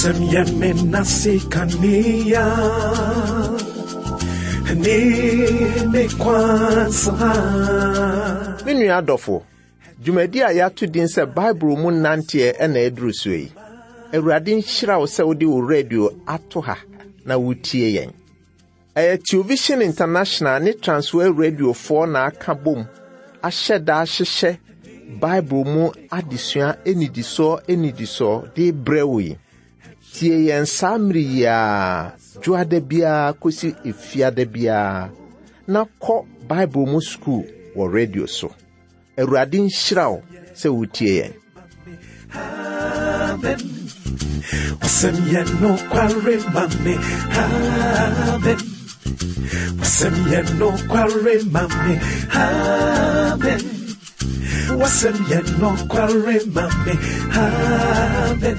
Wasɛm yɛ me nase kanea ne me kwan so ha. Me nua adɔfo, dwumadi a yɛato din sɛ Bible mu nanteɛ na aduru so yi. Awurade nhyira wo sɛ wode wo radio ato ha na wotie yɛn. Ɛyɛ Television International ne Transworld Radiofoɔ na aka bom ahyɛ da ahyehyɛ Bible mu adesua nnidisoɔ nnidisoɔ de brɛ wo yi. Tie yɛn saa mmere yi ara, dwoada biara kɔsi efiada biara, na kɔ Bible mu sukuu wɔ radio so. Awurade nhyira wo sɛ wotie yɛn. Amen. Wasɛm yɛ nokware ma me. Amen. Wasɛm yɛ nokware ma me. Amen. Wasɛm yɛ nokware ma me. Amen.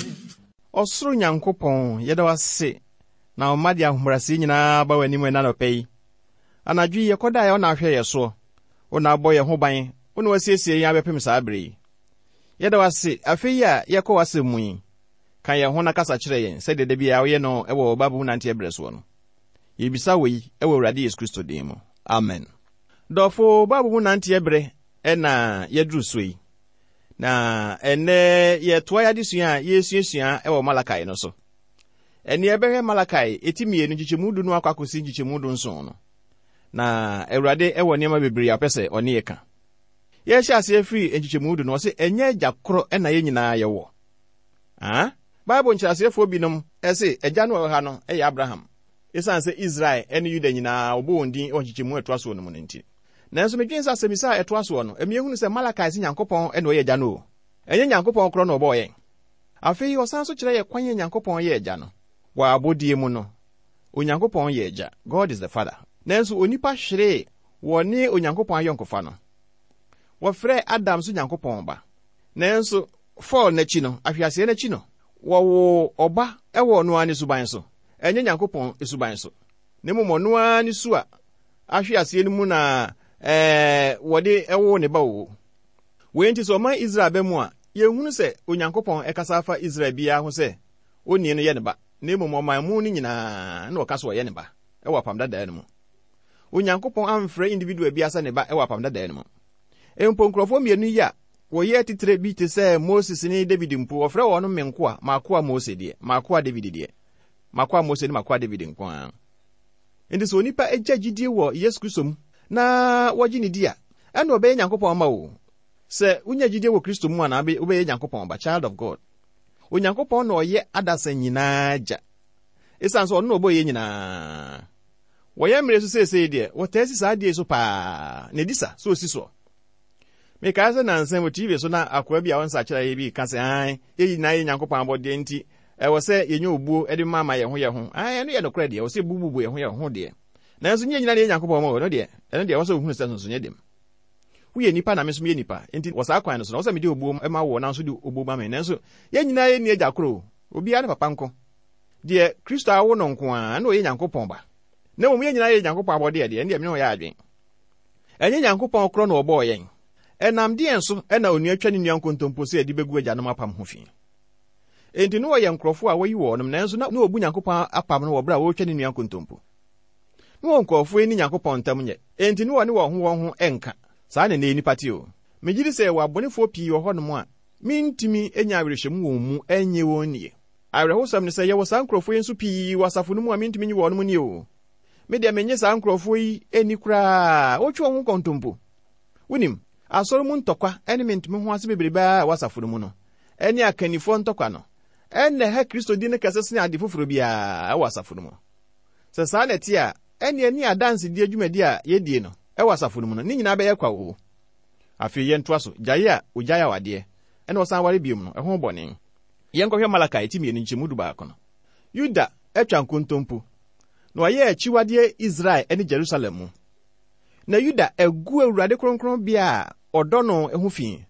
Ɔsoro Nyankopɔn, yɛda wo ase na wo mma de ahobrɛaseɛ nyinaa ba w'anim ɛna anɔpa yi. Anadwo yi yɛkɔdaeɛ wo na ahwɛ yɛ soɔ, wo na abɔ yɛn ho ban, wo na wasiesie yɛn abɛpem saa berɛ yi. Yɛda wo ase afei yi a yɛkɔ w'asɛm mu yi. Ka yɛn ho na kasa kyerɛ yɛn sɛdeɛ da biara woyɛ no wɔ Bible mu nanteɛ berɛ soɔ no. Yɛbisa wei wɔ Awurade Yesu Kristo din mu. Amen. Dɔfo, Bible mu nanteɛ berɛ na yɛaduru so yi. Na ɛnnɛ yɛtoa yɛn adesua a yɛresuasua wɔ Malakai no so. Ɛnne yɛbɛhwɛ Malakai eti mmienu nkyekyɛmu du no akɔ akɔsi nkyekyɛmu du nson no. Na Awurade wɔ nneɛma bebree a ɔpɛ sɛ ɔne yɛ ka. Yɛhyɛ aseɛ firi nkyekyɛmu du no, ɔse ɛnyɛ agya korɔ na yɛn nyinaa yɛwɔ. Ah? Bible nkyerɛaseɛfoɔ binom se agya no a ɔwɔ ha no yɛ Abraham, esiane sɛ Israel ne Yuda nyinaa wɔbɔ wɔn din wɔ nkyekyɛmu a ɛtoa soɔ no mu no nti. Nanso medwene sɛ asɛmmisa a ɛtoa soɔ no, ɛma yɛhunu sɛ Malakai se Nyankopɔn na ɔyɛ agya no o. Ɛnyɛ Nyankopɔn korɔ na ɔbɔɔ yɛn. Afei ɔsan nso kyerɛ yɛn kwan a Nyankopɔn yɛ agya no. Wɔ abɔdeɛ mu no, Onyankopɔn yɛ agya, God is the Father. Nanso onipa hweree wɔne Onyankopɔn ayɔnkofa no. Wɔfrɛɛ Adam nso Nyankopɔn ba. Nanso fall no akyi no, ahweaseɛ no akyi no, wɔwoo ɔba wɔ ɔno ara ne suban so, ɛnyɛ Nyankopɔn suban so, na mmom ɔno ara ne su a ahwe aseɛ no mu na ɛɛ wɔde woo ne ba o. Wei nti sɛ ɔman Israel ba mu a, yɛnhunu sɛ Onyankopɔn ɛkasa afa Israel biara ho sɛ onii no yɛ ne ba, na mmom ɔman mu no nyinaa na ɔka sɛ ɔyɛ ne ba wɔ Apam Dadaa no mu. Onyankopɔn amfrɛ individual biara sɛ ne ba wɔ Apam Dadaa no mu. Mpo nkurɔfoɔ mmienu yi a wɔyɛ atitire bi te sɛ Moses ne David mpo, wɔfrɛ wɔn me nkoa, m'akoa Mose deɛ, m'akoa David deɛ, m'akoa Mose ne m'akoa David nko ara. Enti sɛ onipa gya gyidie wɔ Yesu Kristo mu na wɔgye ne di a, ɛna ɔbɛyɛ Nyankopɔn mma o. Sɛ wonya gyidie wɔ Kristo mu a na wobɛyɛ Nyankopɔn ba, child of God. Onyankopɔn na ɔyɛ adasa nyinaa gya. Esiane sɛ ɔno na ɔbɔɔ yɛn nyinaa. Wɔ yɛn mmere so seesei deɛ, wɔtaa si saa adeɛ yi so paa, na ɛdi sa sɛ ɔsi soɔ. Mekae sɛ nnansa yi wɔ TV so na akoa bi a ɔnsakyeraeɛ bi reka sɛ, Aane, yɛn nyinaa yɛ Nyankopɔn abɔdeɛ nti ɛwɔ sɛ yɛnya obuo de ma ma yɛn ho yɛn ho. Aane, ɛno yɛ nokorɛ deɛ, ɛwɔ sɛ yɛbububu yɛn ho yɛn ho deɛ. Nanso nyɛ nyinaa na yɛ Nyankopɔn mma o, ɛno deɛ, ɛno deɛ ɛwɔ sɛ wohunu sɛ nsonsonoeɛ da mu. Woyɛ nipa na me nso meyɛ nipa, enti wɔ saa kwan no so no, ɛwɔ sɛ mede obuo ma wo na wo nso de obuo ma me. Nanso yɛn nyinaa yɛnni agya koro o, obiara ne papa nko. Deɛ Kristo awo no nko ara na ɔyɛ Nyankopɔn ba. Na mmom yɛn nyinaa yɛ Nyankopɔn abɔdeɛ deɛ, ɛndeɛ me ne wo yɛ adwene. Ɛnyɛ Nyankopɔn korɔ na ɔbɔɔ yɛn? Ɛnam deɛn so na onua twa ne nua nkontompo sɛ yɛde bɛgu agyanom apam ho fi? Enti na wɔyɛ nkurɔfoɔ a wɔayi wɔnom, nanso na wɔbu Nyankopɔn apam no wɔ berɛ a wɔretwa ne nua nkontompo. Na wɔn nkurɔfoɔ yi ne Nyankopɔn ntam nyɛ, enti na wɔne wɔn ho wɔn ho nka. Saa na nnɛ nnipa te o. Megye di sɛ yɛwɔ abɔnefoɔ pii wɔ hɔnom a mentumi nya awerɛhyɛmu wɔn mu nnye wɔn nnie. Awerɛhosɛm ne sɛ yɛwɔ saa nkurɔfoɔ yi nso pii wɔ asafo no mu a mentumi nye wɔnom nnie o. Me deɛ mennye saa nkurɔfoɔ yi nni koraa, wotwe wɔn ho nkontompo. Wonim, asɔre mu ntɔkwa ne mente-me-ho-ase bebrebe ara a ɛwɔ asafo no mu no, ne akannifoɔ ntɔkwa no, na ɛha Kristo di no kɛse sene ade foforɔ biara wɔ asafo no mu. Sɛ saa na ɛte a, ɛnneɛ ne adansedie dwumadi a yɛdie no wɔ asafo no mu no, ne nyinaa bɛyɛ kwa oo. Afei yɛntoa so, gyae a ogyae awadeɛ na ɔsan ware biom no, ɛho bɔne. Yɛnkɔhwɛ Malakai ti mmienu nkyɛmu dubaako no. Yuda atwa nkontompo, na wayɛ akyiwadeɛ Israel ne Jerusalem mu. Na Yuda agu Awurade kronkronbea a ɔdɔ no ho fi,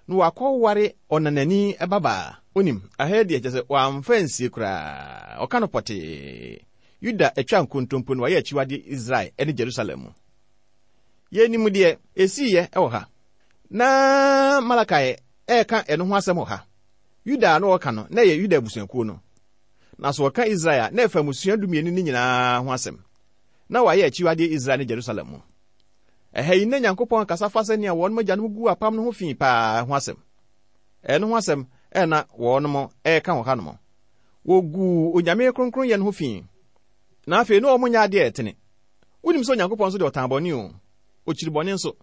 na wakɔware ɔnanani babaa. Wonim, aha yi deɛ kyerɛ sɛ wamfa ansie koraa, ɔka no pɔtee. Yuda atwa nkontompo na wayɛ akyiwadeɛ Israel ne Jerusalem mu. Yɛnim deɛ ɛsiiɛ wɔ ha. Na Malakai reka ɛno ho asɛm wɔ ha. Yuda a na ɔreka no, na ɛyɛ Yuda abusuakuo no. Na sɛ wɔka Israel a, na ɛfa mmusua dumienu no nyinaa ho asɛm. Na wɔayɛ akyiwadeɛ Israel ne Jerusalem mu. Ɛha yi, na Nyankopɔn kasa fa sɛnea wɔnom agyanom guu apam no ho fi paa ho asɛm. Ɛno ho asɛm na wɔnom reka wɔ hanom. Wɔguu Onyame kronkronyɛ no ho fi. Na afei na wɔn nyɛ adeɛ a ɛtene. Wonim sɛ Onyankopɔn nso deɛ ɔtan bɔne o. Ɔkyiri bɔne nso.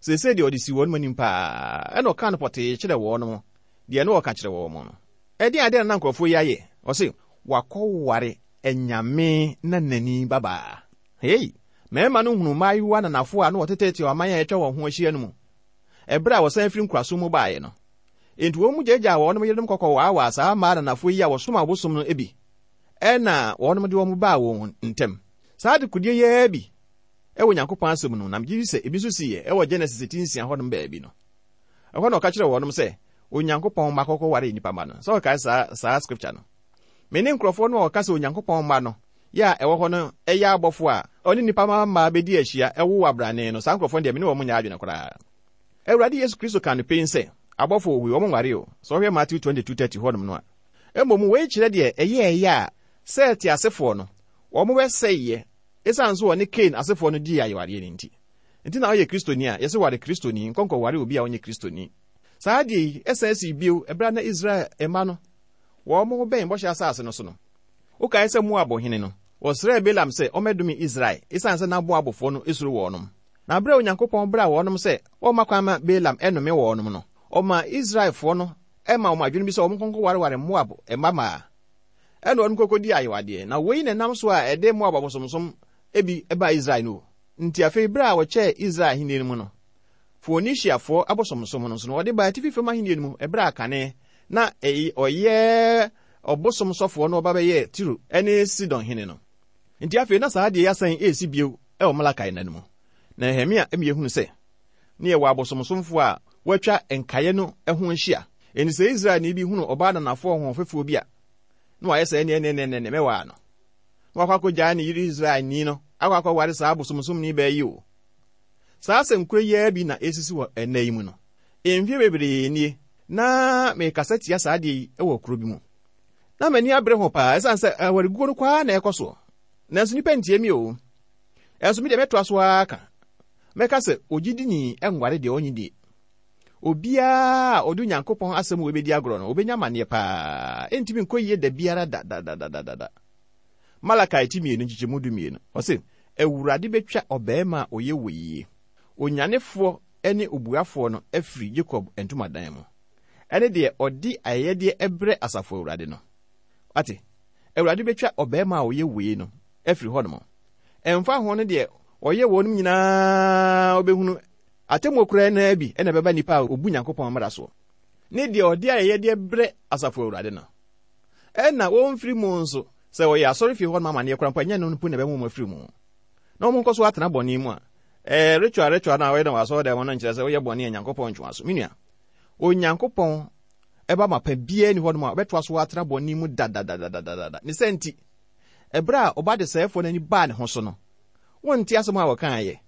Seesei deɛ ɔde si wɔnom anim paa, ɛna ɔkaa no pɔtee kyerɛ wɔnom deɛ na ɔka kyerɛ wɔn no. Ɛdeɛn adeɛ na na nkurɔfoɔ yi ayɛ? Ɔse, wakɔware anyame nanani babaa. Hei! Mmarima no hunuu mmaayewa ananafoɔ a na wɔteteete ɔman a atwa wɔn ho ahyia no mu, ɛberɛ a wɔsan firi nkoasom mu baeɛ no. Enti wɔn mu gyaagyaa wɔnom yerenom kɔkɔwaawaa saa mmaa ananafoɔ yi a wɔsom abosom no bi, ɛna wɔnom de wɔn baa wɔn ntam. Saa adekodeɛ yi ara bi wɔ Nyankopɔn asɛm no mu, na megye di sɛ ebi nso siiɛ wɔ Genesis ti nsia hɔnom baabi no. Ɛhɔ na ɔka kyerɛɛ wɔnom sɛ, Onyankopɔn mma kɔkɔware nnipa mma no. Sɛ wɔkae saa saa scripture no. Me ne nkurɔfoɔ no a wɔka sɛ Onyankopɔn mma no yɛ a ɛwɔ hɔ no yɛ abɔfoɔ a ɔne nnipa mma mmaa bɛdi ahyia woo abrane no, saa nkurɔfoɔ no deɛ me ne wɔn nyɛ adwene koraa. Awurade Yesu Kristo kaa no pen sɛ, abɔfoɔ wɔ hɔ yi, wɔn nware o, sɛ wohwɛ Matthew 22:30 hɔnom no a. Mmom wei kyerɛ deɛ ɛyɛɛyɛ a Set asefoɔ no, wɔn bɛsɛeɛ esiane sɛ wɔne Kain asefoɔ no dii ayewadeɛ no nti. Nti na woyɛ Kristoni a, yɛse ware Kristoni, nkɔ nkɔware obi a ɔnyɛ Kristoni. Saa adeɛ yi san sii bio ɛberɛ a na Israel mma no wɔrebɛn Bɔhyɛ Asase no so no. Wokae sɛ Moab hene no, wɔsrɛɛ Balaam sɛ ɔmmɛdome Israel esiane sɛ na Moabfoɔ no suro wɔnom. Na berɛ a Onyankopɔn braa wɔnom sɛ wɔmma kwan mma Balaam nnome wɔnom no, ɔmaa Israelfoɔ no maa wɔn adwene bi sɛ wɔnkɔ nkɔwareware Moab mma mmaa. Ɛnna wɔnom kɔkɔdii ayewadeɛ. Na wei na ɛnam so a ɛde Moab abosomsom bi baa Israel no. Nti afei berɛ a wɔkyɛɛ Israel ahennie no mu no, Foenisiafoɔ abosomsom no nso no, wɔde baa atifi fam ahennie no mu ɛberɛ a kane na ɔyɛ ɔbosom sɔfoɔ no ɔba bɛyɛɛ Tiro ne Sidon hene no. Nti afei na saa adeɛ yi asan resi bio wɔ Malakai nna no mu. Na Nehemia ma yɛhunu sɛ ne yɛwɔ abosomsomfoɔ a wɔatwa nkaeɛ no ho ahyia. Enti sɛ Israelni bi hunu ɔbaa nanafoɔ ɔhoɔfɛfoɔ bi a, na wayɛ sɛ ɛneɛ ɛneɛ ɛneɛ mɛwaa no. Na wakɔ akɔgyaa ne yere Israelni no akɔ akɔware saa abosomsomni baa yi o. Saa asɛm koro yi ara bi na ɛresisi wɔ ɛnnɛ yi mu no. Mfeɛ bebree nie na merekasa tia saa adeɛ yi wɔ kuro bi mu. Na m'ani abere ho paa ɛsiane sɛ awareguo no kɔ ara na ɛkɔ soɔ. Nanso nnipa ntie me o. Ɛnso me deɛ mɛtoa so ara ka. Mɛka sɛ ogyidini nware deɛ ɔnnye die. Obiara a ɔde Onyankopɔn asɛm wei bɛdi agorɔ no, ɔbɛnya amaneɛ paa. Ɛntumi nkɔ yie da biara da da da da da da. Malakai ti mmienu nkyekyɛmu 12, ɔse, Awurade bɛtwa ɔbarima a ɔyɛ wei yie, onyanefoɔ ne obuafoɔ no afiri Yakob ntomadan mu, ɛne deɛ ɔde ayɛyɛdeɛ brɛ Asafo Awurade no. Wate? Awurade bɛtwa ɔbarima a ɔyɛ wei no afiri hɔnom. Ɛmfa ho no deɛ ɔyɛ wɔnom nyinaa ɔbɛhunu atemmuo koraa no ara bi na ɛbɛba nipa a ɔbu Nyankopɔn mmara soɔ, ne deɛ ɔde ayɛyɛdeɛ brɛ Asafo Awurade no. Ɛna wɔmfiri mu nso, sɛ wɔyɛ asɔrefie hɔ nom amanneɛ koraa mpo a, ɛnyɛ ɛno mpo na ɛbɛma wɔn afiri mu. Na wɔn nkɔ so atena bɔne mu a, ɛɛ, ritual ritual no a wɔyɛ no wɔ asɔredan mu no nkyerɛ sɛ woyɛ bɔne a Nyankopɔn ntwe w'aso. Me nua, Onyankopɔn ɛba mapa biara ni hɔ nom a ɔbɛtoa so atena bɔne mu dadadadadada. Ne sɛ nti, ɛberɛ a ɔba desɛefoɔ no ani baa ne ho so no, wonte asɛm a wɔkaeɛ,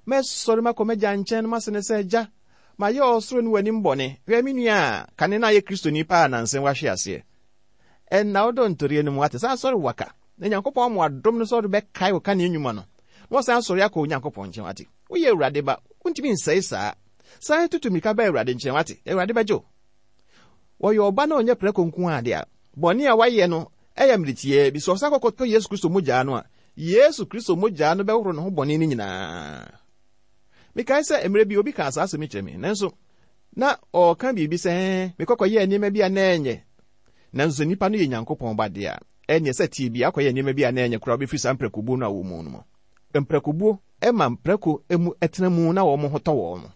Mɛsɔre makɔ m'agya nkyɛn na mase no sɛ, Agya, Mayɛ ɔsoro ne w'anim bɔne. Hwɛ, me nua a kane na ayɛ Kristoni paa nansa yi wahwe aseɛ. Ɛnna wodɔ ntoreɛ no mu ate. San sɔre waka. Na Nyankopɔn ama wadom no sɛ ɔde bɛkae wo kane nnwuma no. Na wasan asɔre akɔ Onyankopɔn nkyɛn wate. Woyɛ Awurade ba. Wontumi nsɛe saa. San tutu mmirika ba Awurade nkyɛn wate. Awurade bɛgye wo. Wɔyɛ ɔba na ɔnyɛ prɛko nko ara de a, bɔne a wayɛ no yɛ mmere tiaa bi. Sɛ ɔsan kɔkɔtɔ Yesu Kristo mogyaa no a, Yesu Kristo mogyaa no bɛhoro ne ho bɔne no nyinaa. Mekae sɛ mmerɛ bi obi kaa saa asɛm yi kyerɛ me, nanso na ɔreka biribi sɛ, Ɛɛ, mekɔ kɔyɛɛ nneɛma bi a na ɛnyɛ. Nanso sɛ nipa no yɛ Nyankopɔn ba deɛ a, ɛnneɛ sɛ teɛ bi akɔyɛ nneɛma bi a na ɛnyɛ koraa wobɛfiri saa mprakobuo no a wɔwɔ mu no mu. Mprakobuo ma mprako mu tena mu na wɔn ho tɔ wɔn.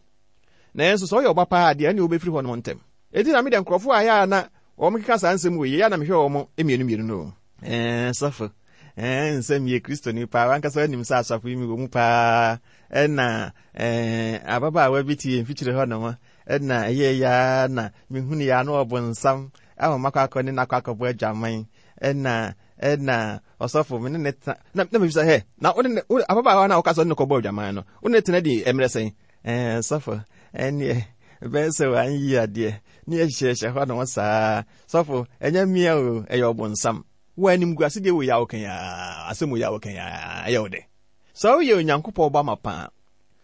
Nanso sɛ ɔyɛ ɔba paa deɛ, ɛnneɛ wobɛfiri hɔ nom ntɛm. Enti na me deɛ nkurɔfoɔ a ɛyɛ a na wɔkeka saa nsɛm wei yi, ɛyɛ a na mehwɛ wɔn mmienu mmienu no. Ɛɛ, sɔfo, ɛɛ, nsɛ meyɛ Kristoni paa, wankasa wonim sɛ asafo yi mewɔ mu paa, ɛna ɛɛ, ababaawa bi te yɛn mfikyire hɔ nom, ɛna ɛyɛ ya na mehunu ya na ɔbonsam ama makɔ akɔ ne nakɔ akɔbɔ adwaman, ɛna ɛna ɔsɔfo me ne ne tena, na na mebisa hɛ, na wo ne ababaawa na woka sɛ ɔne ne kɔbɔ adwaman no, wo ne ne tena di mmerɛ sɛn? Ɛɛ, sɔfo, ɛneɛ, Ɛbɛyɛ sɛ wanyi adeɛ ne yɛhyehyɛ hɔ nom saa. Sɔfo, ɛnyɛ mmea o, ɛyɛ ɔbonsam. Wo animguase deɛ wɔ yi a woka yi ara, asɛm wɔ yi a woka yi ara, ɛyɛ wo dɛ. Sɛ woyɛ Onyankopɔn ba mapa a,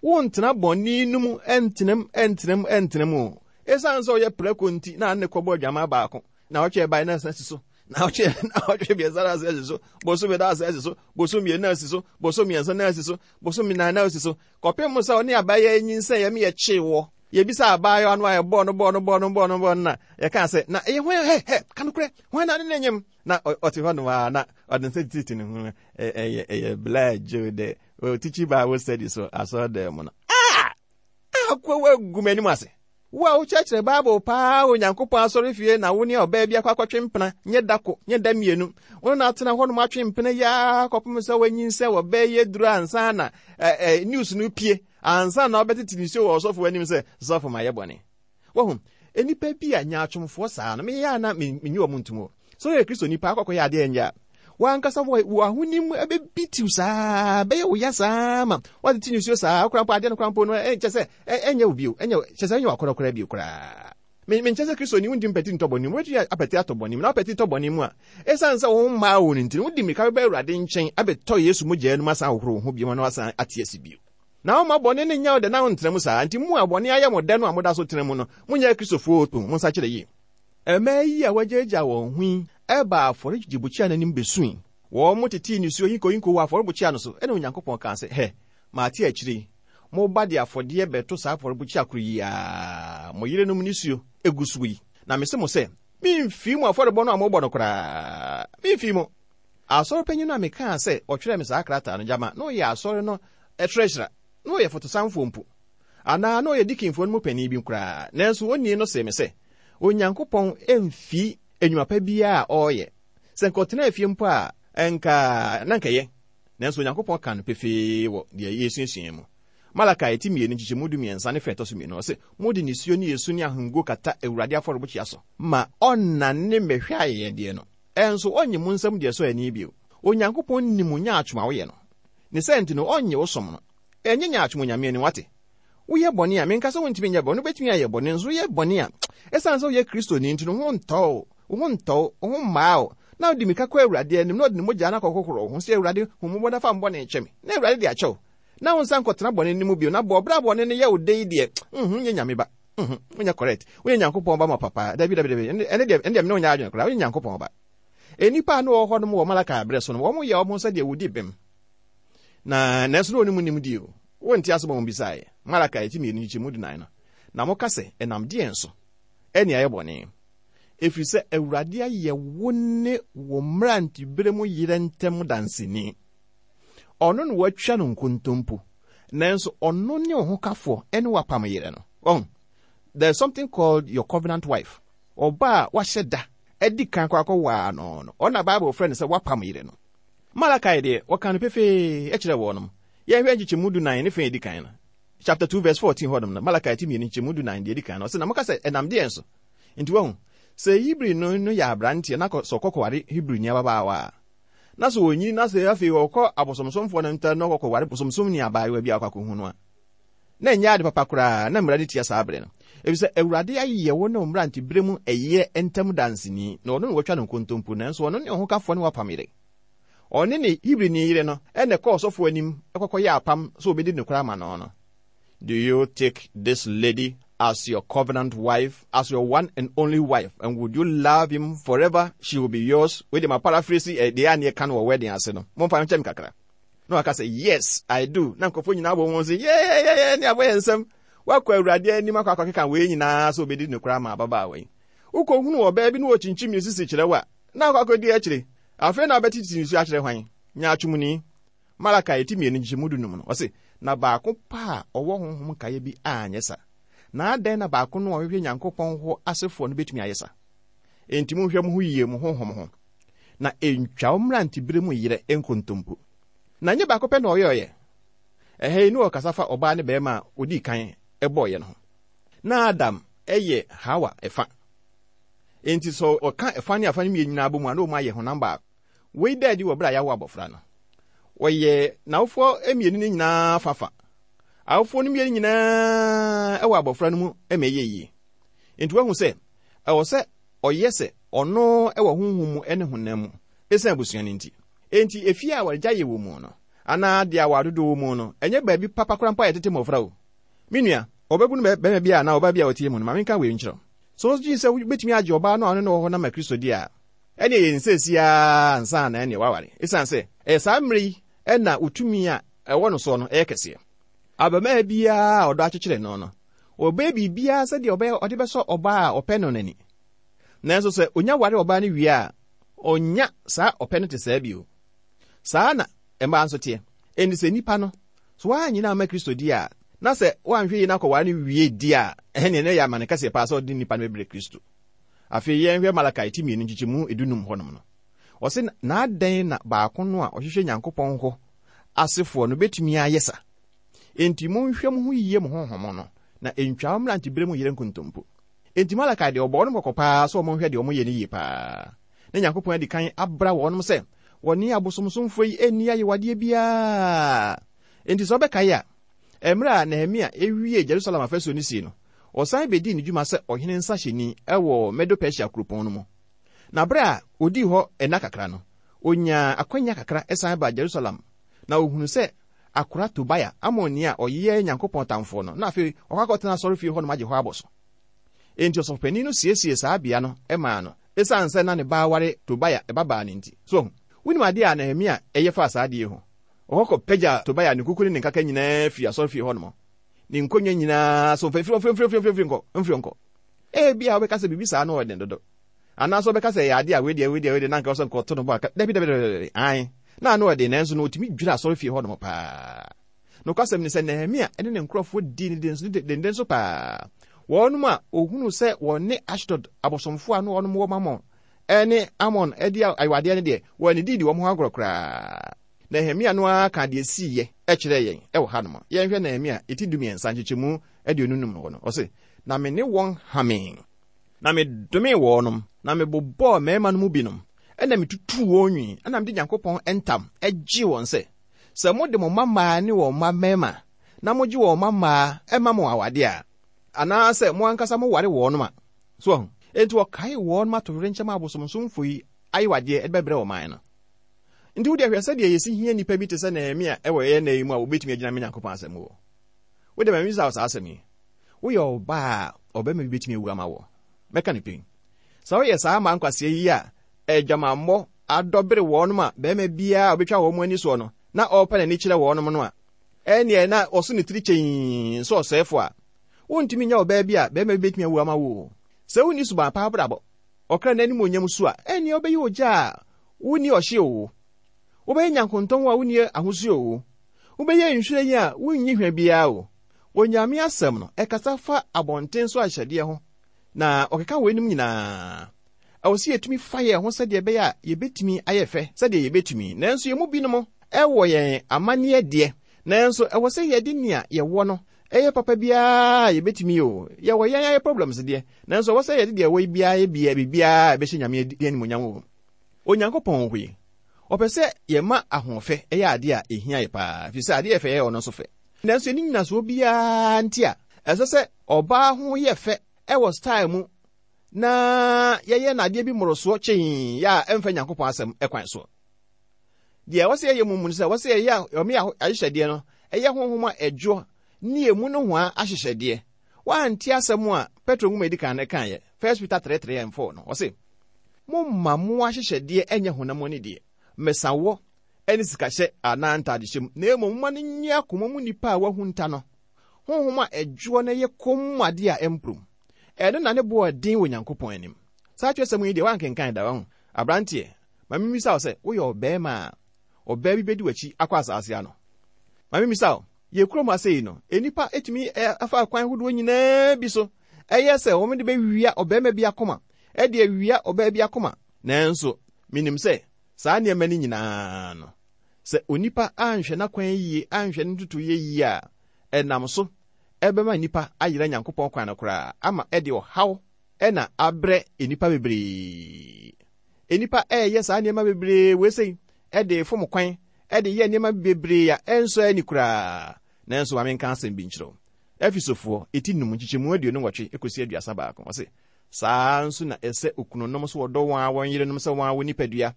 wontena bɔne no mu ntenam ntenam ntenam o. Esiane sɛ ɔyɛ prako nti na ne kɔbɔ adwaman baako, naawɔtwe ɛbae na asan si so, naawɔtwe naawɔtwe mmiɛnsa na asan si so, bosome na asan si so, bosome mmienu na asi so, bosome mmiɛnsa na asi so, bosome nnan na asi so, kɔpem sɛ ɔne abaayewa nyinsɛn yɛ me yɛkyee wɔ. Yɛbisa abaayewa no a yɛbɔɔ no bɔɔ no bɔɔ no bɔɔ no bɔɔ no na yɛkaa sɛ na ɛyɛ hwan hɛ hɛ ka nokorɛ hwan na ne ne nyem na ɔte hɔ nom a na ɔde nsa tititi ne ho ɛyɛ ɛyɛ Blair Joe dɛ ɔtikyi Bible study so asɔre mu no ah akoa wagu m'anim ase. Wo a wokyerɛkyerɛ Bible paa wɔ Onyankopɔn asɔrefie na wo ne ɔbaa bi akɔ akɔtwe mpena, nyɛ da ko, nyɛ da mmienu. Wo ne no atena hɔnom atwe mpena yi ara kɔpem sɛ wanyinsɛn wɔ bɛɛ yi aduru ansa na eh, eh, news no pie, ansa na ɔbɛtete nsuo wɔ ɔsɔfo anim sɛ, sɔfo mayɛ bɔne. Wahu, nnipa bi a nyaatwomfoɔ saa no, meyɛ a na menyi wɔn ntom o. Sɛ woyɛ Kristoni paa akɔkɔyɛ adeɛ ɛnyɛ a, w'ankasa wɔ ahonim bɛbitiw saa, bɛyɛ wo ya saa ma woatete nisuo saa, koraa mpo adeɛ no koraa mpo no ɛnkyɛ sɛ ɛnyɛ wo bio, ɛnyɛ kyɛ sɛ ɛnyɛ w'akɔnnɔ koraa bio koraa. Menkyɛ sɛ Kristoni wontumi mpati ntɔ bɔne mu, wobɛtumi apati atɔ bɔne mu, na wopati tɔ bɔne mu a, ɛsiane sɛ wo mmaa wo no nti no, wode mmirika bɛba Awurade nkyɛn abɛtɔ Yesu mogya no mu asan ahohoro wo ho bio na woasan ate ase bio. Na womma bɔne no nyɛ wo dɛ na wontena mu saa. Nti mo a bɔne ayɛ mo dɛ no a moda so tena mu no, monyɛ Akristofoɔ o, monsakyera yie. Mmaa yi a wɔagyaagyaa wɔn ho yi baa afɔrebukyia no anim besui. Wɔtetee nisuo hinkohinko wɔ afɔrebukyia no so. Ɛnna Onyankopɔn kaa sɛ, Hɛ, mate akyire yi, moba de afɔdeɛ bɛto saa afɔrebukyia koro yi ara, mo yerenom nisuo gu so yi. Na mese mo sɛ, memfii mo afɔrebɔ no a mobɔ no koraa. Memfii mo. Asɔre panyin no a mekaa sɛ ɔtwerɛɛ me saa krataa no, gyama na ɔyɛ asɔre no treasurer, na ɔyɛ fotosanfoɔ mpo, anaa na ɔyɛ dikinfoɔ no mu panin bi koraa. Nanso onii no see me sɛ, Onyankopɔn mfi nnwuma pa biara a ɔreyɛ. Sɛ nka ɔtenaa fie mpo a, nka na nka ɛyɛ. Nanso Onyankopɔn ka no pefee wɔ deɛ yɛresuasua mu. Malakai ti mmienu nkyekyɛmu 13 ne fɛ ɛtɔ so mmienu, ɔse, Mode nisuo ne esu ne ahomguo kata Awurade afɔrebukyia so ma ɔnnane mmɛhwɛ ayɛyɛdeɛ no, ɛnso ɔnnye mo nsam deɛ ɛsɔ ani bio. Onyankopɔn nim wo nyaatwom a woyɛ no. Ne saa nti no, ɔnnye wo som no. Ɛnyɛ nyaatwom Onyame anim, wate? Woyɛ bɔne a, menka sɛ wontumi nyɛ bɔne, wobɛtumi ayɛ bɔne, nso woyɛ bɔne a, ɛsiane sɛ woyɛ Kristoni nti no, wo ho ntɔ wo, wo ho ntɔ wo, wo ho mmaa wo, na wode mmirika kɔ Awurade anim, na ɔde ne mogya no akɔhohoro wo ho sɛ, Awurade, hu mmɔbɔ na fa me bɔne kyɛ me, na Awurade de akyɛ wo, na wo nsa nkɔtena bɔne no mu bio, na bɔ ɔbra bɔne no yɛ wo dɛ yi deɛ, mhm, nyɛ Nyame ba, mhm, wonyɛ correct, wonyɛ Nyankopɔn ba ma papa, dabi, dabi, dabi, ɛne deɛ, ɛne deɛ mene wo nyɛ adwene koraa, wonyɛ Nyankopɔn ba. Nnipa a na wɔwɔ hɔnom wɔ Malakai berɛ so no, wɔn yɛ wɔn ho sɛdeɛ wɔdi bem. Na nanso na wɔn mu nim die o. Wonte asɛm a wɔbisaeɛ. Malakai ti mmienu nkyekyɛmu 14 no. Na moka sɛ, Ɛnam deɛn so ɛne ayɛ bɔne? Ɛfiri sɛ Awurade ayɛ wo ne wo mmeranteberɛ mu yerɛ ntam danseni. Ɔno na woatwa no nkontompo, nanso ɔno ne wo hokafoɔ ne w'apam yerɛ no. Wahu? There is something called your covenant wife. Ɔbaa a wahyɛ da adi kan kɔ akɔwaa no no, ɔno na Bible frɛ no sɛ w'apam yere no. Malakai deɛ, wɔkaa no pefee kyerɛɛ wɔnom. Yɛnhwɛ nkyekyɛmu 14 ne fã a edi kan no. Chapter 2 verse 14 hɔnom no, Malakai ti mmienu nkyekyɛmu 14 deɛ edi kan no, ɔse, Na moka sɛ, Ɛnam deɛn so? Nti wahu, sɛ Hebrini no yɛ aberanteɛ na sɛ ɔkɔkɔware Hebrini ababaawa a, na sɛ ɔnyini na sɛ afei ɔkɔ abosomsomfoɔ no ntam na ɔkɔkɔware bosomsomni abaayewa bi a ɔkɔ akɔhu no a, na ɛnyɛ ade papa koraa, na mmara no tia saa bere no. Efisɛ Awurade ayɛ wo ne wo mmerantebere mu ɛyɛ ntam danseni, na ɔno na watwa no nkontompo, nanso ɔno ne ɔhokafoɔ ne w'apam yere. Ɔne ne Hebrini yere no na ɛkɔɔ ɔsɔfo anim kɔkɔyɛɛ apam sɛ obedi nokware ama no no. Do you take this lady as your covenant wife, as your one and only wife, and would you love him forever? She will be yours. Wei de ma paraphrase eh, deɛ a ne yɛka no wɔ wedding ase no. Momfa nkyɛ me kakra. Na waka sɛ, Yes, I do. Na nkurɔfoɔ nyinaa bɔ wɔn sɛ, Yɛyɛyɛyɛ, ne abɔ yɛn nsam. Wakɔ Awurade anim akɔ akɔkeka wei nyinaa sɛ obedi nokorɛ ama ababaawa yi. Wokɔhunu ɔbaa bi na ɔkyinkyim ne sisi kyerɛ wo a, na akɔ akɔdi akyire. Afei na wobɛtete nsu akyerɛ hwan? Nyaatwomni. Malakai ti mmienu nkyekyɛmu 15 no, ɔse, Na baako pɛ a ɔwɔ honhom nkaeɛ bi anyɛ sa. Na adɛn na baako no a ɔhwehwɛ Nyankopɔn hɔ asefoɔ no bɛtumi ayɛ sa? Enti monhwɛ mo ho yie mo honhom ho, na ɛntwa wo mmerantebere mu yerɛ nkontompo. Na ɛnyɛ baako pɛ na ɔyɔeɛ. Ɛha yi na ɔrekasa fa ɔbaa ne barima a ɔdii kan bɔeɛ no ho. Na Adam yɛ Hawa ɛfa. Enti sɛ ɔka ɛfa ne afa no mmienu nyinaa bɔ mu a, na wɔn ayɛ honam baako. Wei da adi wɔ bere a yɛawo abɔfra no. Wɔyɛ n'awofoɔ mmienu no nyinaa fa fa. Awofoɔ no mmienu nyinaa nyinaa wɔ abɔfra no mu ma ɛyɛ yie. Enti wahu sɛ ɛwɔ sɛ ɔyɛ sɛ ɔno wɔ honhom mu ne honam mu esiane abusua no nti. Enti efie a awaregyaeɛ wɔ mu no, anaa deɛ aware dodoɔ wɔ mu no, ɛnyɛ baabi papa koraa mpo a yɛtete mmɔfra o. Me nua, ɔbabunu barima bi anaa ɔbaa bi a ɔte mu no, ma menka wei nkyerɛ wo. Sɛ wogye sɛ wobɛtumi agye ɔbaa no a ɔne no wɔ hɔ no ama Kristo deɛ a, ɛnneɛ yɛ no seesei ara ansa na ɛnneɛ woaware, esiane sɛ ɛyɛ saa mmerɛ yi na wo tumi a ɛwɔ no soɔ no yɛ kɛseɛ. Abarimaa biara a ɔdɔ akyekyere no no, ɔbɛyɛ biribiara sɛdeɛ ɔbɛyɛ ɔde bɛsɔ ɔbaa a ɔpɛ no no ani. Nanso sɛ ɔnya ware ɔbaa no wie a, ɔnnya saa ɔpɛ no te saa bio. Saa na mmaa nso teɛ. Enti sɛ nnipa no, sɛ woannyina amma Kristo di a, na sɛ woanhwɛ yie na akɔware no wie di a, ɛnneɛ na ɛyɛ amane kɛseɛ paa sɛ ɔde nnipa no bɛbrɛ Kristo. Afei yɛnhwɛ Malakai ti mmienu nkyekyɛmu dunum hɔnom no. Ɔse, Na adɛn na baako no a ɔhwehwɛ Nyankopɔn hɔ asefoɔ no bɛtumi ayɛ sa? Enti monhwɛ mo ho yie mo honhom no, na ɛntwa wo mmeranteberɛ mu yere nkontompo. Enti Malakai deɛ ɔbɔɔ wɔnom kɔkɔ paa sɛ wɔnhwɛ deɛ wɔyɛ no yie paa. Na Nyankopɔn adi kan abra wɔnom sɛ wɔne abosomsomfoɔ yi nni ayewadeɛ biara. Enti sɛ wobɛkae a, mmerɛ a Nehemia wiee Jerusalem afasuo no sie no, ɔsan bɛdii ne dwuma sɛ ɔhene nsahyɛni wɔ Medo-Persia kuropɔn no mu. Na berɛ a ɔdii hɔ nna kakra no, ɔnyaa akwanya kakra san baa Jerusalem, na ɔhunuu sɛ akora Tobia, Amonni a ɔyɛ Nyankopɔn tamfoɔ no, na afei wakɔ akɔtena asɔrefie hɔnom agye hɔ abɔ so. Enti ɔsɔfopanin no siesiee saa bea no maa no, esiane sɛ na ne ba aware Tobia babaa no nti. So wahu? Wunim ade a Nehemia yɛ faa saa ade yi ho? Ɔkɔ kɔpagyaa Tobia ne kuku ne ne nkaka nyinaa fii asɔrefie hɔnom, ne nkonnwa nyinaa so, mfa mfiri hɔ, mfiri hɔ, mfiri hɔ, mfiri hɔ, mfiri hɔ nkɔ. Ebia wobɛka sɛ biribi saa no yɛ den dodo. Anaasɛ wobɛka sɛ ɛyɛ ade a wei deɛ, wei deɛ, wei deɛ, na anka ɛwɔ sɛ nka ɔto no bo aka. Dabi, dabi, dabi, dabi, ae. Na ano yɛ den, nanso na otumi dwira asɔrefie hɔnom paa. Nokwasɛm ne sɛ, Nehemia ne ne nkurɔfoɔ dii no denden so paa. Wɔnom a ohunuu sɛ wɔne Ashdod abosomfoɔ a na wɔnom wɔ Mammon ne Amon di ayewadeɛ no deɛ, wɔannididi wɔn ho agorɔ koraa. Nehemia no ara kaa deɛ ɛsiiɛ kyerɛɛ yɛn wɔ hanom. Yɛnhwɛ Nehemia ti dumiɛnsa nkyekyɛmu 25 hɔ no, ɔse, Na me ne wɔn hamee, na medomee wɔnom, na mebobɔɔ mmarima no mu binom, ɛna metutuu wɔn nwi, ɛna mede Nyankopɔn ntam gyee wɔn sɛ, Sɛ mode mo mma mmaa ne wɔn mma mmarima, na mogye wɔn mma mmaa ma mo awadeɛ a, anaasɛ mo ankasa moware wɔnom a, so wahu? Enti wɔkaee wɔnom atoyerɛnkyɛm a abosomsomfo yi ayewadeɛ de bɛbrɛ ɔman no. Nti wo deɛ hwɛ sɛdeɛ yɛsi hia nnipa bi te sɛ Nehemia wɔ yɛn nna yi mu a wɔbɛtumi agyina ama Nyankopɔn asɛm mu. Wo deɛ ma memmisa wo saa asɛm yi, Woyɛ ɔbaa a ɔbarima bi bɛtumi awu ama wo? Mɛka no pɛn. Sɛ woyɛ saa mmaa nkwasea yi a adwamammɔ adɔbere wɔnom a barima biara a ɔbɛtwa wɔn ani soɔ no na ɔrepa n'ani kyerɛ wɔnom no a, ɛnneɛ na ɔso ne tiri kyɛnn sɛ ɔsɛefoɔ a, wontumi nyɛ ɔbaa bi a barima bi bɛtumi awu ama wo o. Sɛ wonni suban pa abrabɔ, ɔkra no animuonyam su a, ɛnneɛ wobɛyɛ ogya a wonni ɔhye o, wobɛyɛ nyankontɔn a wonni ahosuo o, wobɛyɛ nhwiren a wonnyi hwa biara o. Onyame asɛm no, ɛkasa fa abɔnten so ahyehyɛdeɛ ho, na ɔkeka weinom nyinaa. Ɛwɔ sɛ yɛtumi fa yɛn ho sɛdeɛ ɛbɛyɛ a yɛbɛtumi ayɛ fɛ sɛdeɛ yɛbɛtumi, nanso yɛn mu binom wɔ yɛn amanneɛ deɛ, nanso ɛwɔ sɛ yɛde nea yɛwɔ no yɛ papa biara a yɛbɛtumi o. Yɛwɔ yɛn ayɛ problems deɛ, nanso ɛwɔ sɛ yɛde deɛ ɛwɔ yi biara yɛ bia biribiara a ɛbɛhyɛ Nyame animuonyam wɔ mu. Onyankopɔn hɔ yi, ɔpɛ sɛ yɛma ahoɔfɛ yɛ adeɛ a ɛhia yɛ paa, ɛfiri sɛ adeɛ a ɛfɛ yɛ ɔno nso fɛ. Nanso ɛnni nnyinasoɔ biara nti a ɛsɛ sɛ ɔbaa ho yɛ fɛ wɔ style mu na yɛyɛ no adeɛ bi mmorosoɔ kyɛn yɛ a ɛmfa Nyankopɔn asɛm kwan soɔ. Deɛ ɛwɔ sɛ yɛyɛ mu mu no sɛ ɛwɔ sɛ yɛyɛ ɔme ahyehyɛdeɛ no ɛyɛ honhom a ɛdwoɔ ne emu nohoa ahyehyɛdeɛ. Woante asɛm a Petro nwoma edi kan no kaeɛ, 1 Peter 3 3 and 4 no, ɔse, Momma mo ahyehyɛdeɛ ɛnyɛ honam ani deɛ, mmesawɔ ne sikahyɛ anaa ntadehyɛ mu, na mmom momma no nyɛ akoma mu nipa a wahunta no, honhom a ɛdwoɔ na ɛyɛ komm adeɛ a ɛmporom. Ɛno na ne bo yɛ den wɔ Nyankopɔn anim. Saa kyerɛwsɛm yi deɛ woankenkan da, wahu? Aberanteɛ, ma mimmisa wo sɛ, woyɛ ɔbarima a ɔbaa bi bedi w'akyi akɔ asaase ano? Ma mimmisa wo, yɛn kurom ha sei no, nnipa tumi fa akwan ahodoɔ nyinaa bi so yɛ sɛ wɔde bɛwia ɔbarima bi akoma, de awia ɔbaa bi akoma. Nanso, minim sɛ saa nneɛma no nyinaa no, sɛ onipa anhwɛ n'akwan yie, anhwɛ ne ntotoeɛ yie a, ɛnam so ɛbɛma nnipa ayera Nyankopɔn kwan no koraa ama ɛde ɔhaw na abrɛ nnipa bebree. Nnipa ɛreyɛ saa nneɛma bebree wei sei ɛde fom kwan, ɛde yɛ nneɛma bebree a ɛnsɔ ani koraa. Nanso ma menka asɛm bi nkyerɛ wo. Efesofoɔ, eti num, nkyekyɛmu 28 kɔsi 31, ɔse, Saa ara nso na ɛsɛ okununom sɛ wɔdɔ wɔn ara wɔn yerenom sɛ wɔn ara wɔn nipadua.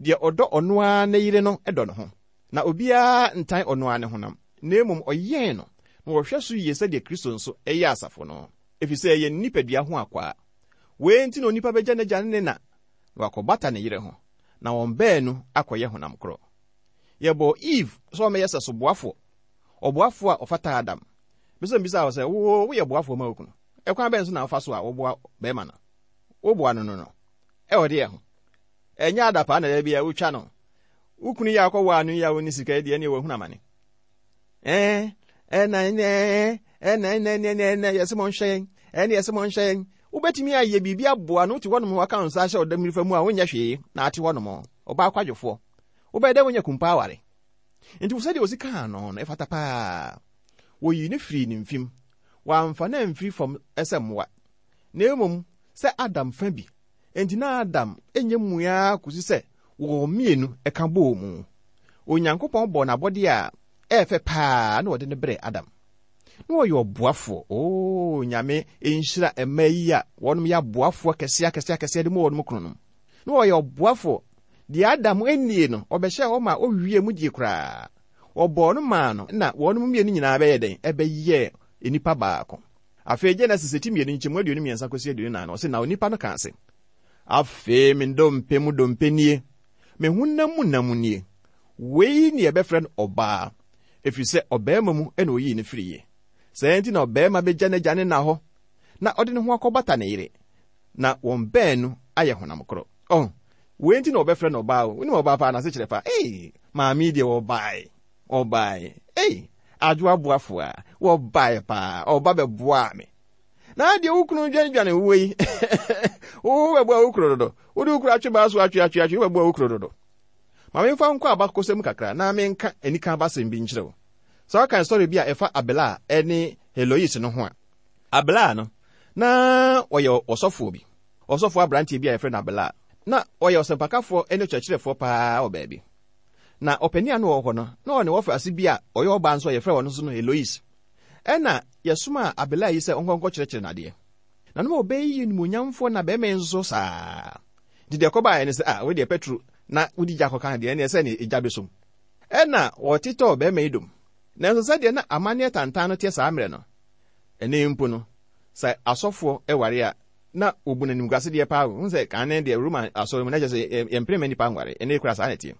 Deɛ ɔdɔ ɔno ara ne yere no dɔ ne ho. Na obiara ntan ɔno ara ne honam, na mmom ɔyɛn no, na ɔhwɛ so yie sɛdeɛ Kristo nso yɛ asafo no, ɛfiri sɛ ɛyɛ ne nipadua ho akwaa. Wei nti na onipa bɛgya n'agya ne ne na, na wakɔbata ne yere ho, na wɔn baanu akɔyɛ honam korɔ. Yɛbɔɔ Eve sɛ ɔmmɛyɛ sɛso boafoɔ, ɔboafoɔ a ɔfata Adam. Mepɛ sɛ mebisa wo sɛ, wo woyɛ boafoɔ ma wo kunu? Ɛkwan bɛn so na wofa so a woboa bɛrima no? Woboa no no no, ɛwɔ deɛ ho? Ɛnyɛ adapaa na da biara wotwa no. Wo kunu yi a wokɔwaa no yi a ɔnni sika yi deɛ ɛneɛ wahunu amane. Ɛɛ, ɛna ɛnɛ, ɛna ɛnɛ, ɛnɛ, ɛnɛ, ɛnɛ, yɛsɛ mo nhwɛ yɛn, ɛne yɛsɛ mo nhwɛ yɛn. Wobɛtumi ayɛ biribi aboa no, wote hɔnom waka wo nsa ahyɛ ɔdam nifa mu a wonyɛ hwee na ate hɔnom, ɔbaa kwadwofoɔ. Wobɛyɛ dɛ wonya kumpa aware. Nti sɛdeɛ ɔsi kaa no no, ɛfata paa. Wɔyii no firii ne mfem. Wɔamfa no amfiri fam sɛ mmoa, na mmom sɛ Adam fa bi. Enti na Adam nyɛ mua ara kosi sɛ wɔn mmienu ka bɔɔ mu. Onyankopɔn bɔɔ n'abɔdeɛ a ɛyɛ fɛ paa na ɔde no brɛɛ Adam. Na ɔyɛ ɔboafoɔ. Oo, Nyame nhyira mmaa yi a wɔnom yɛ aboafoɔ akɛseɛ akɛseɛ akɛseɛ de ma wɔnom kununom. Na ɔyɛ ɔboafoɔ. Deɛ Adam nnie no, ɔbɛhyɛɛ hɔ ma ɔwiee mu die koraa. Wɔbɔɔ no maa no na wɔnom mmienu nyinaa bɛyɛ dɛn? Ɛbɛyɛɛ nnipa baako. Afei Genesis ti mmienu nkyɛmu 23 kɔsi 24 no, ɔse, Na onipa no kaa se, Afei me dompe mu dompe nie, me honam mu nam nie, wei ne yɛbɛfrɛ no ɔbaa, ɛfiri sɛ ɔbarima mu na ɔyii no firiiɛ. Saa nti na ɔbarima bɛgya n'agya ne na hɔ, na ɔde ne ho akɔbata ne yere, na wɔn baanu ayɛ honam korɔ. Ɔho, wei nti na wɔbɛfrɛ no ɔbaa o. Wonim ɔbaa paa n'asekyerɛ paa. Ei, maame yi deɛ ɔbae, ɔbae. Ei, adwo aboafo a, wɔbae paa, ɔba bɛboaa me. Na deɛ wo kunu dwanedwane wo yi, wo bɛboa wo kunu dodo. Wode wo kunu atwe baa so atwe atwe atwe, wobɛboa wo kunu dodo. Ma memfa nkɔ abakɔsɛm kakra na menka anika abasɛm bi nkyerɛ wo. Sɛ wokan sɔre bi a ɛfa Abelard ne Heloise no ho a, Abelard no, na ɔyɛ ɔsɔfoɔ bi. Ɔsɔfoɔ aberanteɛ bi a yɛfrɛ no Abelard. Na ɔyɛ ɔsɛmpakafoɔ ne ɔkyerɛkyerɛfoɔ paa wɔ baabi. Na ɔpanin a na ɔwɔ hɔ no, na ɔne wɔfase bi a ɔyɛ ɔbaa nso a yɛfrɛ ɔno nso no Heloise. Ɛnna yɛsomaa Abelard yi sɛ ɔnkɔ nkɔkyerɛkyerɛ no adeɛ. Na na ɔbaa yi yɛ animuonyamfoɔ na barima yi nso so saa. Nti deɛ ɛkɔbaeɛ ne sɛ, ah, wei deɛ Petro na wodi gya kɔka deɛ, ɛnneɛ sɛ ne egya bɛsom. Ɛnna wɔtetɔɔ barima yi dom. Nanso sɛdeɛ na amanneɛ tantan no teɛ saa mmerɛ no, Ɛnnɛ mpo no, sɛ asɔfoɔ ware a, na wɔbu no animguasedeɛ paa o. Wohu sɛ kane deɛ Roma asɔre mu na kyerɛ sɛ yɛmpene mma nnipa nware. Ɛnnɛ yi koraa saa na ɛteɛ.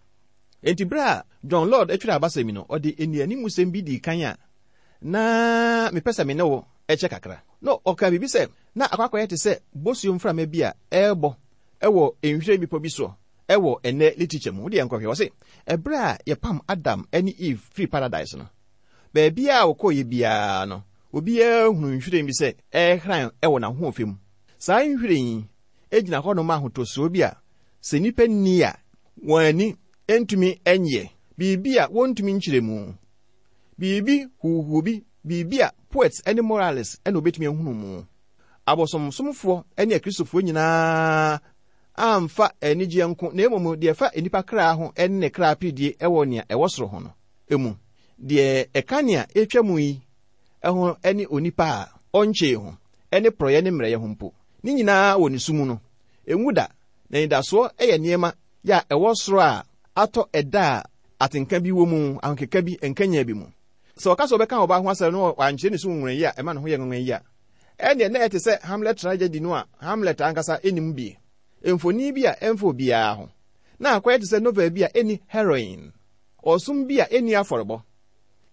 Enti berɛ a John Lord twerɛɛ abasɛm yi no, ɔde nnianimusɛm bi dii kan a na mepɛ sɛ me ne wo kyɛ kakra. Na ɔkaa biribi sɛ, na akɔ akɔyɛ te sɛ bosuo mframa bi a ɛrebɔ wɔ nhwiren bepɔ bi soɔ wɔ ɛnnɛ literature mu. Wo deɛ nkɔhwɛ. Ɔse, ɛberɛ a yɛpam Adam ne Eve firii Paradise no, Baabiara a wɔkɔeɛ biara no, obiara hunuu nhwiren bi sɛ ɛrehran wɔ n'ahoɔfɛ mu. Saa nhwiren yi gyina hɔnom ma ahotosoɔ bi a sɛ nnipa nni a, wɔn ani ntumi nnyeɛ, biribi a wɔntumi nkyerɛ mu, biribi huuhuu bi, biribi a poets ne moralists na wɔbɛtumi ahunu mu. Abosomsomfoɔ ne Akristofoɔ nyinaa amfa anigyeɛ nko na mmom deɛ ɛfa nnipa kra ho ne ne kra aperedie wɔ nea ɛwɔ soro ho no mu. Deɛ ɛka nea ɛretwa mu yi ho ne onipa a ɔnkyee ho ne porɔeɛ ne mmerɛyɛ ho mpo, ne nyinaa wɔ ne su mu no, ɛnwu da. N'anidasoɔ yɛ nneɛma yɛ a ɛwɔ soro a atɔ ɛda a atenka bi wɔ mu, ahokeka bi, nkanyan bi mu. Sɛ ɔka sɛ ɔbɛka ɔbaa ho asɛm na wankyerɛ ne su nwonwa yi a ɛma ne ho yɛ nwanwa yi a, ɛnneɛ na ɛte sɛ Hamlet tragedy no a Hamlet ankasa nnim bi, mfoni bi a ɛmfa obiara ho, na akɔyɛ te sɛ novel bi a enni heroine. Ɔsom bi a enni afɔrebɔ.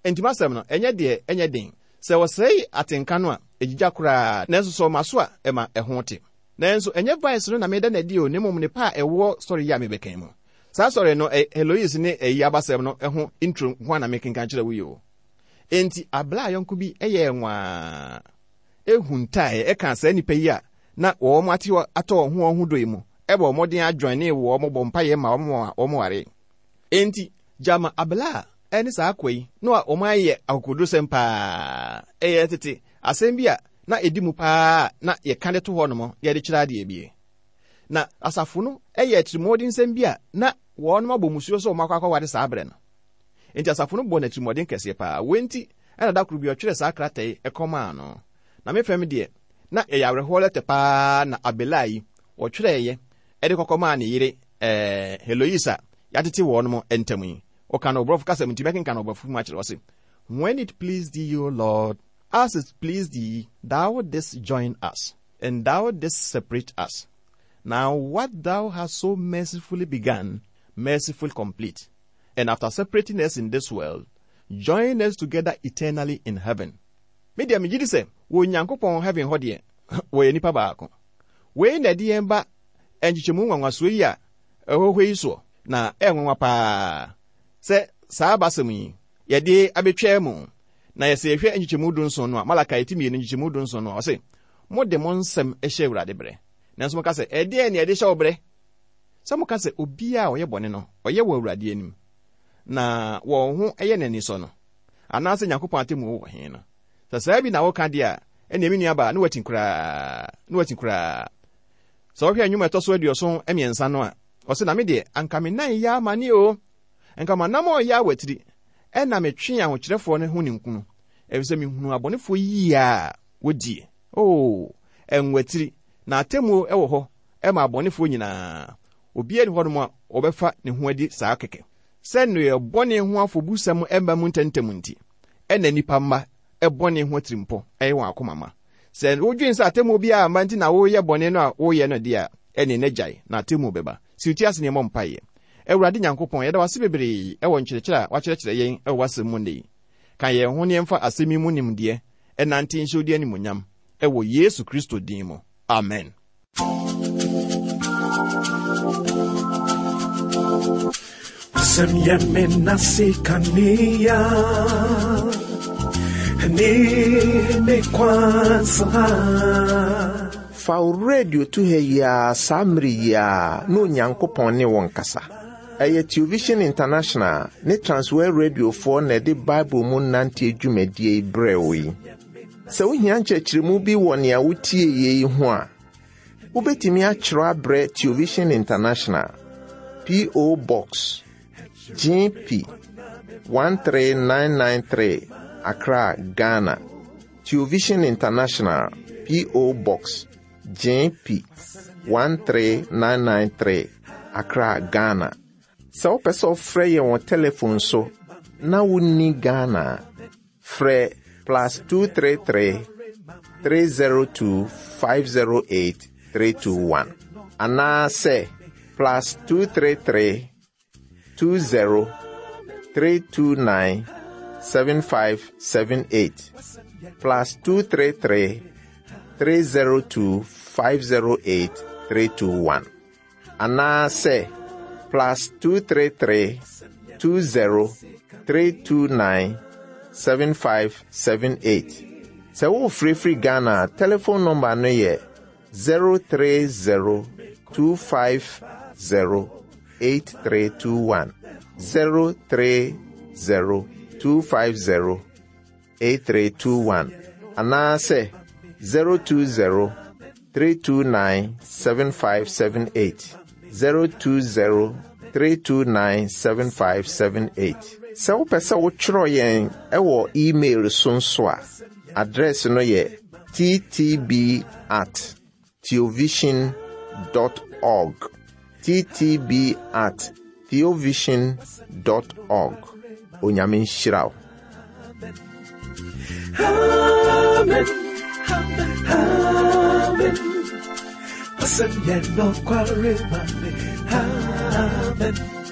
Enti m'asɛm no, ɛnyɛ deɛ ɛnyɛ den. Sɛ wɔsɛe atenka no a, egyigya koraa, nanso sɛ wɔma so a, ɛma ɛho te. Nanso ɛnyɛ vice no na meda no adi o, na mmom nnepa a ɛwɔ sɔre yi a mebɛka yi mu. Saa sɔre no, Heloise ne ayi abasɛm no ho intro nko ara na mekenkan kyerɛ wo yi o. Enti abla yɔnko bi yɛɛ nwaa, huntae, ɛkaa saa nnipa yi a na wɔn ate atɔ wɔn ho wɔn ho dɔ yi mu, bɔɔ mmɔden adjoinee wɔn, bɔɔ mpaeɛ maa wɔn ma wɔwaree. Enti, gyama Abelard ne saa akoa yi na wɔayɛ akokodurusɛm paa. Ɛyɛ tete asɛm bi a na edi mu paa a na yɛka de to hɔnom na yɛde kyerɛ adeɛ bi. Na asafo no yɛ atirimuɔdensɛm bi a na wɔnom abɔ mmusuo sɛ wɔakɔ akɔware saa berɛ no. Enti asafo no bɔɔ no atirimuɔden kɛseɛ paa. Wei nti Ɛna da koro bi ɔtwerɛɛ saa krataa yi kɔmaa no. Na me fam deɛ, na ɛyɛ awerɛhoɔ lɛtɛ paa na Abelard yi ɔtwerɛeɛ de kɔkɔmaa ne yere ɛɛ Heloise a yɛatete wɔnom ntam yi. Ɔka no Borɔfo kasa mu nti mɛkenkan no Borɔfo mu akyerɛ. Ɔse, When it pleased thee, O Lord, as it pleased thee, thou didst join us, and thou didst separate us. Now what thou hast so mercifully begun, mercifully complete. And after separating us in this world, join us together eternally in heaven. Me deɛ megye di sɛ wɔ Onyankopɔn heaven hɔ deɛ, wɔyɛ nnipa baako. Wei na ɛde yɛn ba nkyekyɛmu nwanwasoɔ yi a ɛwɔ hɔ yi soɔ, na ɛyɛ nwanwa paa sɛ saa abasɛm yi yɛde abɛtwaa mu. Na yɛsɛ yɛhwɛ nkyekyɛmu dunson no a, Malakai ti mmienu nkyekyɛmu dunson no a, ɔse, Mode mo nsɛm hyɛ Awurade brɛ. Nanso moka sɛ, Ɛdeɛn na yɛde hyɛ wo brɛ? Sɛ moka sɛ, Obiara a ɔyɛ bɔne no, ɔyɛ wɔ Awurade anim, na wɔn ho yɛ no anisɔ no, anaasɛ Nyankopɔn atemmuo wɔ he no? Sɛ saa bi na woka deɛ a, ɛnneɛ me nuabaa, ne woati koraa, ne woati koraa. Sɛ wohwɛ nnwom a ɛtɔ so 73 no a, ɔse, Na me deɛ, anka me nan yɛ amane o, anka m'anammɔn yɛ awatiri, ɛnna metwee ahokyerɛfoɔ no ho ninkunu, ɛfiri sɛ mehunuu abɔnefoɔ yie a wɔdie. O, ɛnwatiri, na atemmuo wɔ hɔ ma abɔnefoɔ nyinaa. Obiara nni hɔnom a ɔbɛfa ne ho adi saa kɛkɛ. Sɛ nneyɛɛ bɔne ho afɔbusɛm mma mu ntɛmntɛm nti, ɛna nnipa mma bɔne ho atirimpɔ yɛ wɔn akoma ma. Sɛ wodwen sɛ atemmuo biara mma nti na woreyɛ bɔne no a woreyɛ no deɛ a, ɛnneɛ na gyae, na atemmuo bɛba. Si wo ti ase na yɛmmɔ mpaeɛ. Awurade Nyankopɔn, yɛda wo ase bebree wɔ nkyerɛkyerɛ a woakyerɛkyerɛ yɛn wɔ w'asɛm mu nnɛ yi. Ka yɛn ho na yɛmfa asɛm yi mu nimdeɛ nnante nhyɛ wo din animuonyam, wɔ Yesu Kristo din mu, amen. Asɛm yɛ me nase kanea ne me kwan so ha. Fa wo radio to ha yi ara saa mmere yi ara na Onyankopɔn ne wo nkasa. Ɛyɛ Television International ne Transworld Radiofoɔ na ɛde Bible mu nanteɛ dwumadie yi brɛɛ wo yi. Sɛ wohia nkyerɛkyerɛmu bi wɔ nea wotie yi ho a, wobɛtumi akyerɛ abrɛ Television International, P.O. Box, GP 13993, Accra, Ghana. Television International, P.O. Box, GP 13993, Accra, Ghana. Sɛ wopɛ sɛ wofrɛ yɛn wɔ telefon so na wonni Ghana a, frɛ plus 233 302 508 321 anaasɛ plus 233 20 329 7578 plus 233 302 508 321 anaasɛ plus 233 20 329 7578. Sɛ worefrɛfiri Ghana a, telefon nɔmba no yɛ 030 250 8321. 030 250 8321 anaasɛ 020 329 7578 020 329 7578. Sɛ wopɛ sɛ wotwerɛ yɛn wɔ email so nso a, address no yɛ ttb at theovision dot org ttb at theovision dot org Onyame nhyira wo. Amen. Amen. Amen.